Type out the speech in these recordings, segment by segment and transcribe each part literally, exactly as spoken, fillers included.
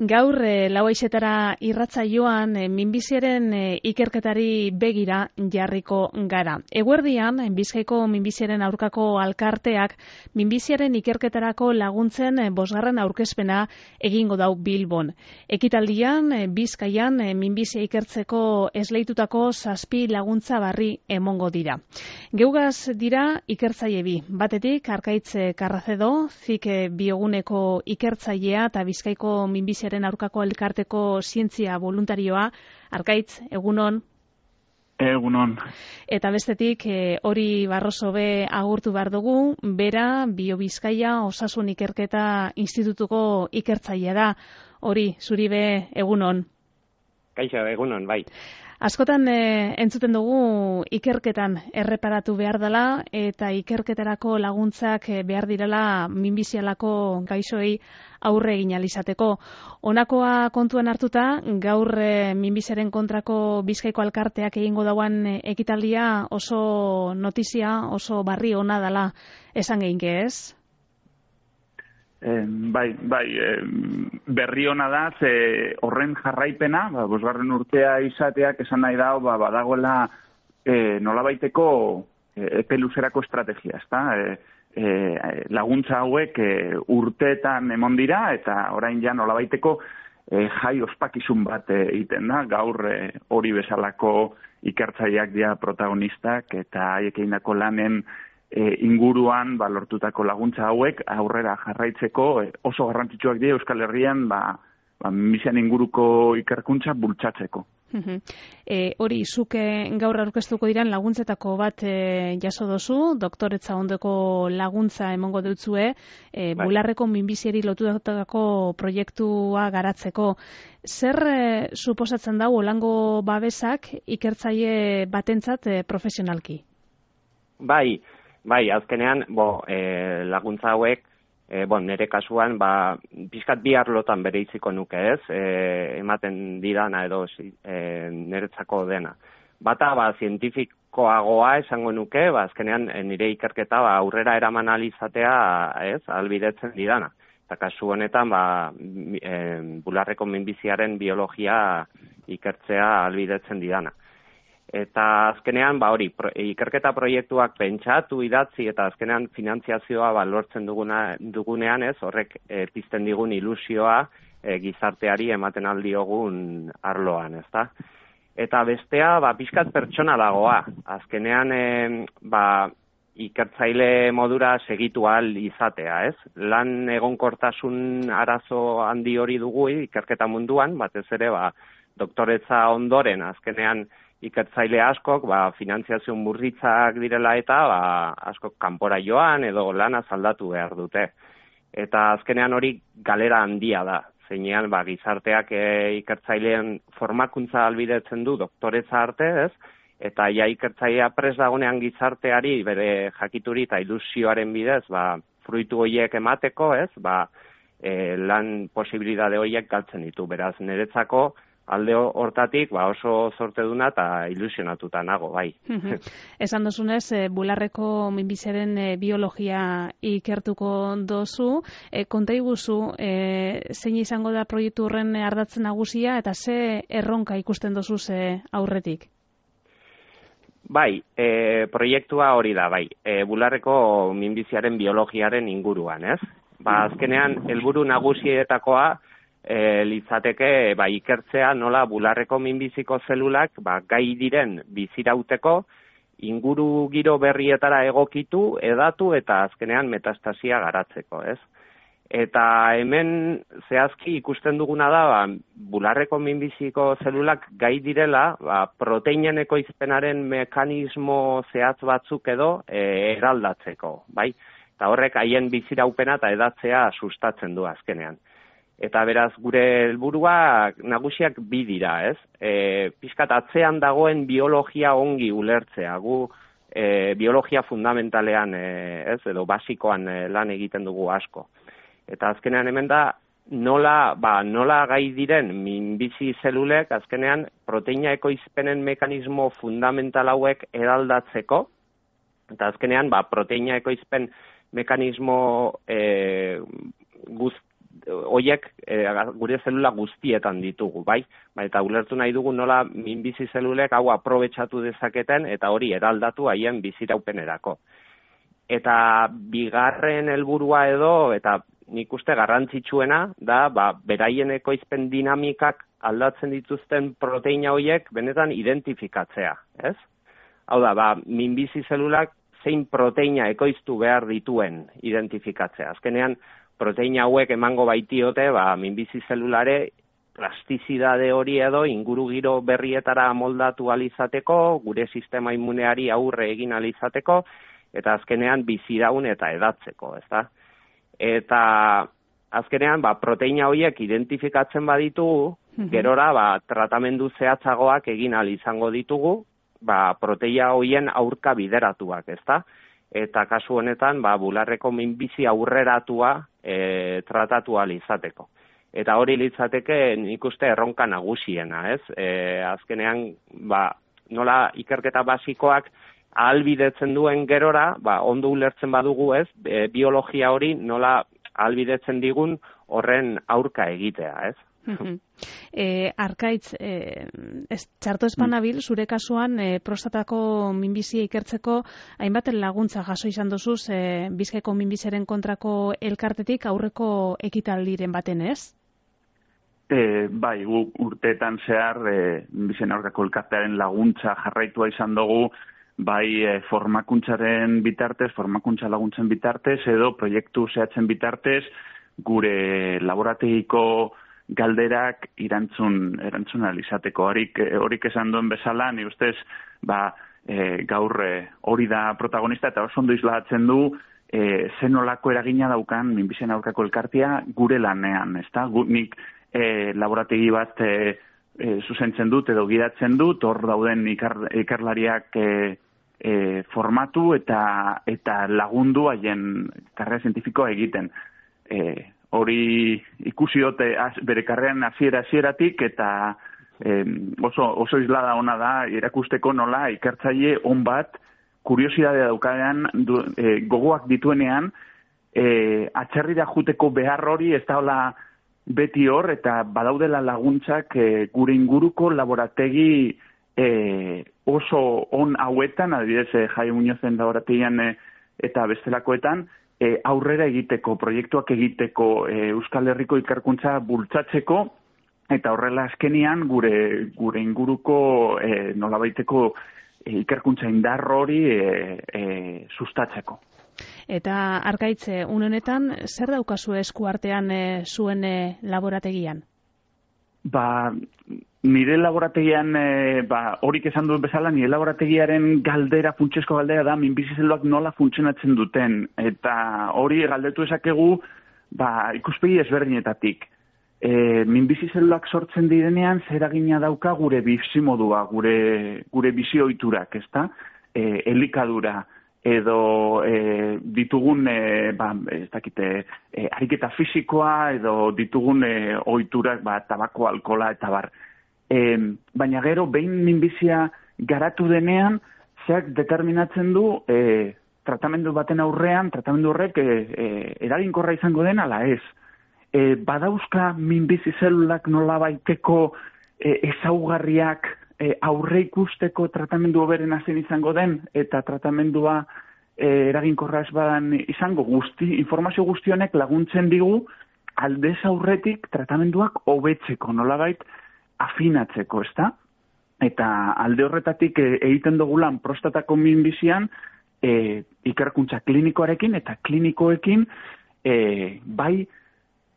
Gaur e, lau aixetara irratsaioan e, minbiziaren e, ikerketari begira jarriko gara. Eguerdian, Bizkaiko minbiziaren aurkako alkarteak minbiziaren ikerketarako laguntzen e, bosgarren aurkezpena egingo dau Bilbon. Ekitaldian, e, Bizkaian e, minbizia ikertzeko esleitutako zazpi laguntza barri emongo dira. Geugaz dira ikertzaile bi. Batetik, Arkaitz Karrazedo, zik bioguneko ikertzailea eta Bizkaiko minbiziaren aurkako elkarteko zientzia voluntarioa. Arkaitz, egunon? Egunon. Eta bestetik, e, hori Barroso be agurtu behar dugu, bera Bio Bizkaia Osasun Ikerketa Institutuko ikertzailea da. Hori, zuri be egunon? Kaixo, egunon, bai. Askotan e, entzuten dugu ikerketan erreparatu behar dela eta ikerketarako laguntzak behar direla minbizialako gaixoei aurre egin alizateko. Honakoa kontuan hartuta, gaur e, minbiziaren kontrako Bizkaiko alkarteak egingo dauan ekitaldia oso notizia, oso barri ona dela esan geinke, ez? Eh, bai, bai, eh, berri ona da, ze horren jarraipena, ba, bosgarren urtea izateak esan nahi da, ba, badagoela eh, nolabaiteko eh, epe luzerako estrategia, ezta? Eh, eh, laguntza hauek eh, urteetan emon dira, eta orain ja nolabaiteko eh, jai ospakizun bat eh, egiten da, gaur eh, hori bezalako ikertzaileak dira protagonistak, eta haiek egindako lanen E, inguruan ba, lortutako laguntza hauek aurrera jarraitzeko e, oso garrantzitsuak dira Euskal Herrian ba, ba, minbizian inguruko ikerkuntza bultzatzeko. E, hori, zuke gaur aurkeztuko diran laguntzetako bat e, jaso dozu, doktoretza ondoko laguntza emongo dutzue, e, bai. Bularreko minbiziari lotutako proiektua garatzeko. Zer e, suposatzen dau olango babesak ikertzaile batentzat e, profesionalki? Bai, Bai, azkenean, bo, e, laguntza hauek, e, bon, nire kasuan, ba, pixkat bi arlotan bere iziko nuke ez, e, ematen didana edo e, niretzako dena. Bata, ba, zientifikoagoa esango nuke, ba, azkenean nire ikerketa ba, aurrera eraman alizatea, ez, albidetzen didana. Eta kasu honetan, ba, e, bularreko minbiziaren biologia ikertzea albidetzen didana. Eta azkenean, ba hori, pro, ikerketa proiektuak pentsatu, idatzi, eta azkenean finantziazioa ba, lortzen duguna, dugunean ez, horrek e, pizten digun ilusioa e, gizarteari ematen aldiogun arloan, ezta? Eta bestea, ba, pixkat pertsonalagoa. Azkenean, e, ba, ikertzaile modura segitu ahal izatea, ez? Lan egonkortasun arazo handi hori dugu ikerketa munduan, batez ere, ba, doktoretza ondoren, azkenean, ikertzaile askok, ba, finantziazio murritzak direla eta ba, askok kanpora joan edo lana aldatu behar dute. Eta azkenean hori galera handia da. Zeinean ba, gizarteak e, ikertzaileen formakuntza albidetzen du doktoretza arte, ez? Eta ja ikertzailea prest dagonean gizarteari bere jakituri eta ilusioaren bidez, ba, fruitu horiek emateko, ez? Ba, e, lan posibilitate horiek galtzen ditu. Beraz, niretzako alde hortatik ba oso zorteduna eta ilusionatuta nago, bai. Esan dozunez, e, bularreko minbiziaren e, biologia ikertuko dozu. E, konta iguzu, e, zein izango da proiektu horren ardatzen nagusia eta ze erronka ikusten dozu ze aurretik? Bai, e, proiektua hori da, bai. E, bularreko minbiziaren biologiaren inguruan, ez? Ba, azkenean, helburu nagusietakoa E, litzateke ba, ikertzea nola bularreko minbiziko zelulak ba, gai diren bizirauteko inguru giro berrietara egokitu, edatu eta azkenean metastasia garatzeko, ez? Eta hemen zehazki ikusten duguna da ba, bularreko minbiziko zelulak gai direla ba, proteinen ekoizpenaren mekanismo zehatz batzuk edo e, eraldatzeko, bai? Eta horrek haien biziraupena eta edatzea sustatzen du azkenean. Eta beraz, gure helburua nagusiak bi dira, ez? E, pixkat atzean dagoen biologia ongi ulertzea, gu e, biologia fundamentalean, e, ez, edo basikoan e, lan egiten dugu asko. Eta azkenean hemen da, nola, ba, nola gai diren minbizi zelulek, azkenean proteina ekoizpenen mekanismo fundamental hauek eraldatzeko, eta azkenean, ba, proteina ekoizpen mekanismo e, guzti, hoiek e, gure zelula guztietan ditugu, bai? Ba, eta ulertu nahi dugu nola minbizi zelulek hau aprobetxatu dezaketen eta hori eraldatu haien biziraupenerako. Eta bigarren helburua edo, eta nik uste garrantzitsuena, da, ba, beraien ekoizpen dinamikak aldatzen dituzten proteina horiek benetan identifikatzea, ez? Hau da, ba, minbizi zelulak zein proteina ekoiztu behar dituen identifikatzea. Azkenean, proteina hauek emango baitiote, ba, minbizi zelulare plastizidade hori edo ingurugiro berrietara moldatu alizateko, gure sistema immuneari aurre egin alizateko, eta azkenean biziraun eta edatzeko, ezta? Eta azkenean, ba, proteina horiek identifikatzen baditugu, gerora, ba, tratamendu zehatzagoak egin ahal izango ditugu, ba, proteina horien aurka bideratuak, ezta? Eta kasu honetan, ba, bularreko minbizi aurreratua e, tratatu ahal izateko. Eta hori litzateke nik uste erronka nagusiena, ez? E, azkenean, ba, nola ikerketa basikoak ahalbidetzen duen gerora, ba, ondo ulertzen badugu, ez? E, biologia hori nola ahalbidetzen digun horren aurka egitea, ez? E, Arkaitz, e, ez, txarto espanabil, zure kasuan e, prostatako minbizia ikertzeko hainbat laguntza jaso izan duzuz e, Bizkaiko minbiziaren kontrako elkartetik aurreko ekitaldiren baten, ez? E, bai, urteetan zehar e, minbizien aurkako elkartearen laguntza jarraitua izan dugu, bai e, formakuntzaren bitartez, formakuntza laguntzen bitartez, edo proiektu zehatzen bitartez, gure laborategiko galderak irantzun, erantzun alizateko. Horik, horik esan duen bezala, ni ustez, ba, e, gaur e, hori da protagonista, eta oso ondo islatzen du, e, zenolako eragina daukan minbizien aurkako elkartea gure lanean, ezta? Gu, nik e, laborategi bat e, e, zuzentzen dut edo gidatzen dut, hor dauden ikar, ikarlariak e, e, formatu eta, eta lagundu haien karrera zientifikoa egiten. E, hori ikusi dute bere karreran hasiera hasieratik eta eh, oso, oso islada ona da erakusteko nola ikertzaile on bat kuriosidadea daukanean du, eh, gogoak dituenean eh, atzerrira juteko behar hori ez da hola beti hor eta badaudela laguntzak eh, gure inguruko laborategi eh, oso on hauetan, adibidez eh, Jai Muñozen laborategian eh, eta bestelakoetan, E, aurrera egiteko, proiektuak egiteko, e, Euskal Herriko ikerkuntza bultzatzeko, eta horrela azkenian gure, gure inguruko e, nolabaiteko e, ikerkuntza indar hori e, e, sustatzeko. Eta Arkaitze, une honetan, zer daukazu esku artean e, zuen e, laborategian? Ba, nire laborategian, e, ba, horik esan duen bezala, nire laborategiaren galdera, funtsezko galdera da, minbizi zeluak nola funtzionatzen duten. Eta hori galdetu esakegu, ba, ikuspegi ezberdinetatik. E, minbizi zeluak sortzen direnean, zer eragina dauka gure bizimodua, gure, gure bizioiturak, ezta? E, elikadura, edo e, ditugun, e, ba, ez dakite, e, ariketa fisikoa, edo ditugun e, ohiturak, ba, tabako, alkola, eta bar. E, baina gero, behin minbizia garatu denean, zeak determinatzen du e, tratamendu baten aurrean, tratamendu horrek e, e, eraginkorra izango den, ala ez. E, badauzka minbizi zelulak nola baiteko e, ezaugarriak e, aurre ikusteko tratamendu hoberen hazen izango den, eta tratamendua e, eraginkorra ez badan izango guzti, informazio guztionek laguntzen digu aldez aurretik tratamenduak hobetzeko, nolabait afinatzeko, ezta? Eta alde horretatik e, egiten dugu lan prostatako minbizian e, ikerkuntza klinikoarekin eta klinikoekin e, bai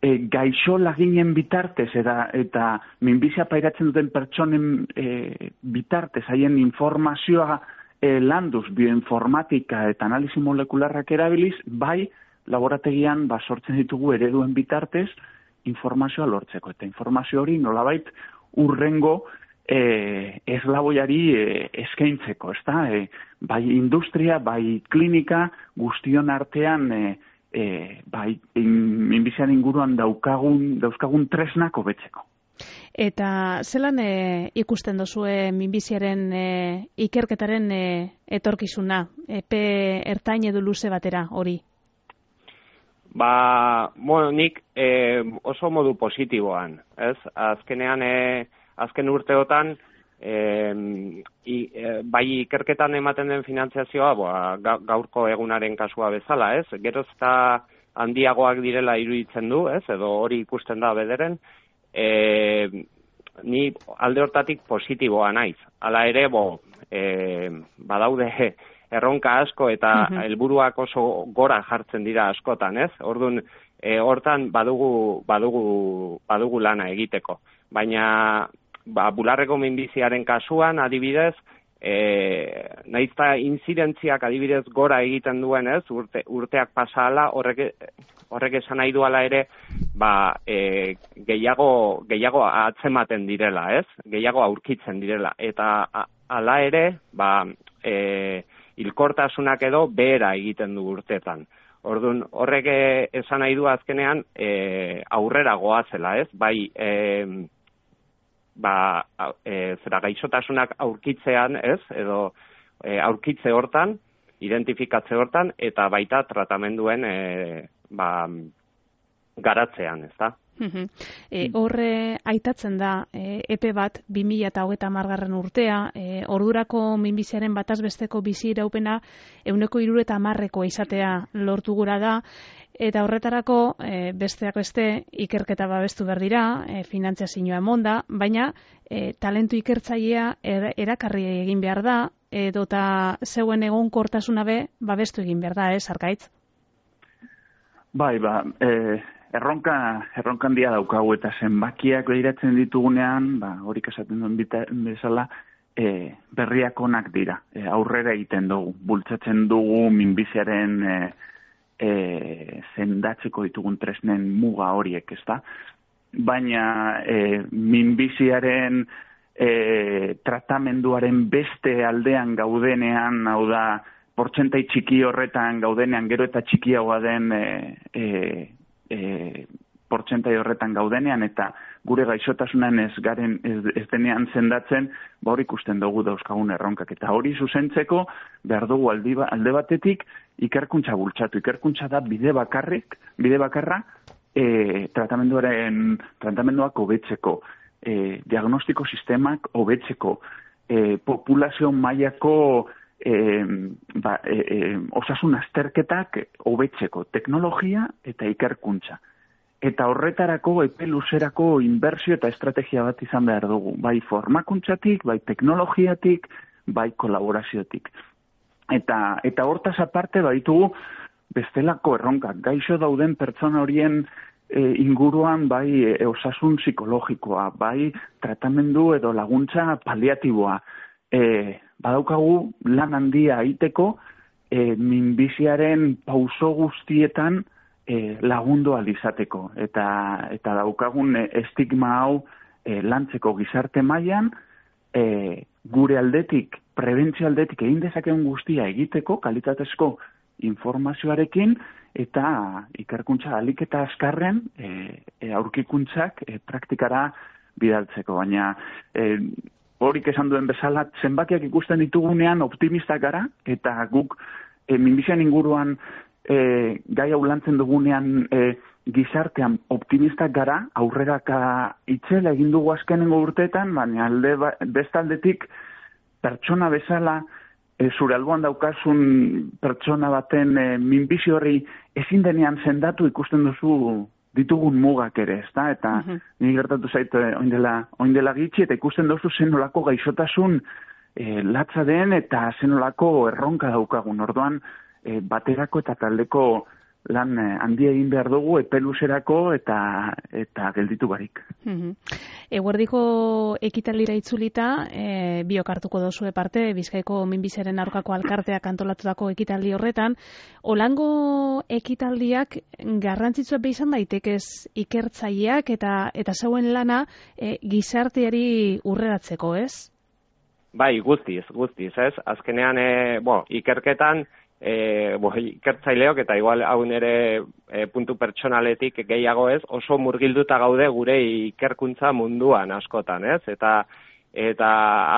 e, gaixo laginen bitartez eta, eta minbizia pairatzen duten pertsonen e, bitartez haien informazioa e, landuz bioinformatika eta analisi molekularrak erabiliz, bai laborategian ba, sortzen ditugu ereduen bitartez informazioa lortzeko. Eta informazio hori nolabait urrengo e, eslaboiari e, eskaintzeko, ezta? E, bai industria, bai klinika, guztion artean e, e, bai minbizian inguruan daukagun, dauzkagun tresnak hobetzeko. Eta zelan e, ikusten duzue minbiziaren e, ikerketaren e, etorkizuna, epe ertain edo luze batera hori? Ba, bueno, nik e, oso modu positiboan, ez? Azkenean, e, azken urteotan, e, i, e, bai ikerketan ematen den finantziazioa, boa, gaurko egunaren kasua bezala, ez? Geroz eta handiagoak direla iruditzen du, ez? Edo hori ikusten da bederen, e, ni alde hortatik positiboa naiz. Hala ere, bo, e, badaude erronka asko eta helburuak oso gora jartzen dira askotan, ez? Orduan, e, hortan badugu, badugu, badugu lana egiteko. Baina, ba, bularreko minbiziaren kasuan, adibidez, e, naizta inzidentziak adibidez gora egiten duen, ez? Urte, urteak pasala, horrek, horrek esan nahi duala ere, ba, e, gehiago, gehiago atzematen direla, ez? Gehiago aurkitzen direla. Eta hala ere, ba, e, hilkortasunak edo behera egiten du urtetan. Orduan, horrek esan nahi du azkenean e, aurrera goazela, ez? Bai, e, ba, e, zera gaixotasunak aurkitzean, ez? Edo e, aurkitze hortan, identifikatze hortan, eta baita tratamenduen e, ba, garatzean, ez da? E, horre aitatzen da e, epe bat bi mila hogeita hamargarren urtea, e, ordurako minbiziaren batazbesteko bizi iraupena ehuneko hirurogeita hamarrekoa izatea lortu gura da, eta horretarako e, besteak beste ikerketa babestu behar dira, e, finantziazioa emonda, baina e, talentu ikertzailea er, erakarri egin behar da, edo eta zeuen egonkortasuna be babestu egin behar da, ez, Arkaitz? Bai, ba, e... Erronka, erronkan dia daukagu eta zenbakiak behiratzen ditugunean, ba, horik esaten duen bezala, e, berriak onak dira. E, aurrera egiten dugu, bultzatzen dugu minbiziaren e, e, zendatzeko ditugun tresnen muga horiek, ezta? Baina e, minbiziaren e, tratamenduaren beste aldean gaudenean, hau da, portzentai txiki horretan gaudenean, gero eta txikiagoa den e, e, E, portzentai horretan gaudenean eta gure gaixotasunan ez garen ez, ez denean zendatzen, ba hori ikusten dugu dauzkagun erronkak. Eta hori zuzentzeko behar dugu aldi, alde batetik ikerkuntza bultzatu. Ikerkuntza da bide bakarrik, bide bakarra e, tratamenduaren, tratamenduak hobetzeko, e, diagnostiko sistemak hobetzeko, e, populazio mailako E, ba, e, e, osasun azterketak hobetzeko, teknologia eta ikerkuntza. Eta horretarako epe luzerako inbertsio eta estrategia bat izan behar dugu. Bai formakuntzatik, bai teknologiatik, bai kolaboraziotik. Eta, eta hortaz aparte baitugu bestelako erronkak. Gaixo dauden pertsona horien e, inguruan bai e, osasun psikologikoa, bai tratamendu edo laguntza paliatiboa. E, badaukagu lan handia egiteko e, minbiziaren pauso guztietan e, lagundu alizateko. Eta, eta daukagun e, estigma hau e, lantzeko gizarte mailan e, gure aldetik, prebentzio aldetik egin dezakegun guztia egiteko, kalitatezko informazioarekin, eta ikerkuntza alik eta azkarren e, e, aurkikuntzak e, praktikara bidaltzeko. Baina e, horik esan duen bezala, zenbakiak ikusten ditugunean optimistak gara, eta guk e, minbizian inguruan e, gai hau lantzen dugunean e, gizartean optimistak gara, aurreraka itzela egin dugu azkenengo urteetan, baina alde ba, bestaldetik pertsona bezala, e, zure alboan daukasun pertsona baten e, minbizi horri ezin denean sendatu ikusten duzu ditugun mugak ere, ezta? Eta uh-huh. ni gertatu zait oindela, oindela gitxi, eta ikusten duzu zenolako gaixotasun e, latza den eta zenolako erronka daukagun. Orduan, e, baterako eta taldeko lan e, handia egin behar dugu, epeluzerako eta eta gelditu barik. Uh-huh. Eguerdiko ekitaldira itzulita, e, biok hartuko dozue parte, Bizkaiko minbiziaren aurkako alkarteak antolatutako ekitaldi horretan, olango ekitaldiak garrantzitsua be izan daitekez ikertzaileak eta eta zeuen lana e, gizarteari urreratzeko, ez? Bai, guztiz, guztiz, ez? Azkenean, e, bo, ikerketan, E, bo, ikertzaileok eta igual hau nere e, puntu pertsonaletik gehiago ez, oso murgilduta gaude gure ikerkuntza munduan askotan, ez? Eta eta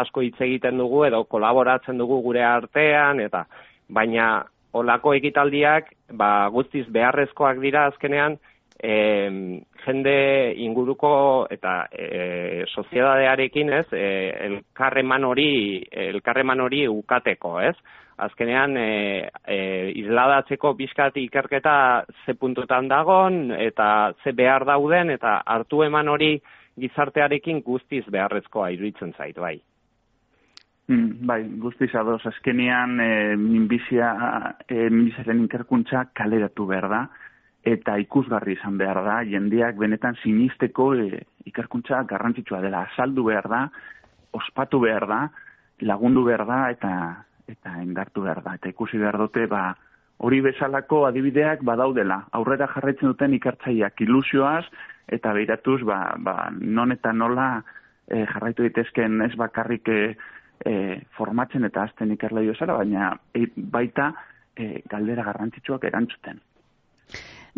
asko hitz egiten dugu edo kolaboratzen dugu gure artean, eta baina olako ekitaldiak ba, guztiz beharrezkoak dira azkenean, E, jende inguruko eta e, soziedadearekin, ez, e, elkarreman hori, elkarreman hori ukateko, ez? Azkenean, e, e, isladatzeko bizkat ikerketa ze puntutan dagon, eta ze behar dauden, eta hartu eman hori gizartearekin guztiz beharrezkoa iruditzen zait, bai. Mm, bai, guztiz ados, azkenean e, minbizia, e, minbiziaren ikerkuntza kaleratu behar da, eta ikusgarri izan behar da, jendeak benetan sinisteko e, ikerkuntza garrantzitsua dela, azaldu behar da, ospatu behar da, lagundu behar da, eta eta engartu behar da. Eta ikusi behar dute, ba, hori bezalako adibideak badaudela, aurrera jarraitzen duten ikertzaileak ilusioaz, eta beiratuz, ba, ba, non eta nola e, jarraitu daitezken ez bakarrik e, e, formatzen eta azten ikerlai bezala, baina e, baita e, galdera garrantzitsuak erantzuten.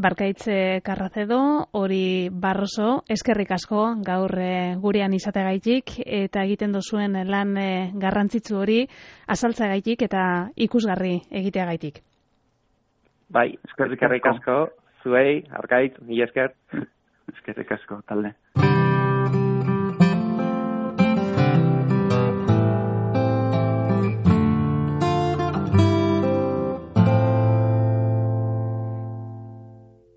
Barkaitze Carracedo, hori Barroso, eskerrik asko gaur e, gurean izategaitik eta egiten dozuen lan e, garrantzitsu hori azaltzagaitik eta ikusgarri egiteagaitik. Bai, eskerrik asko, zuei, Arkait, mi esker. Eskerrik asko, talde.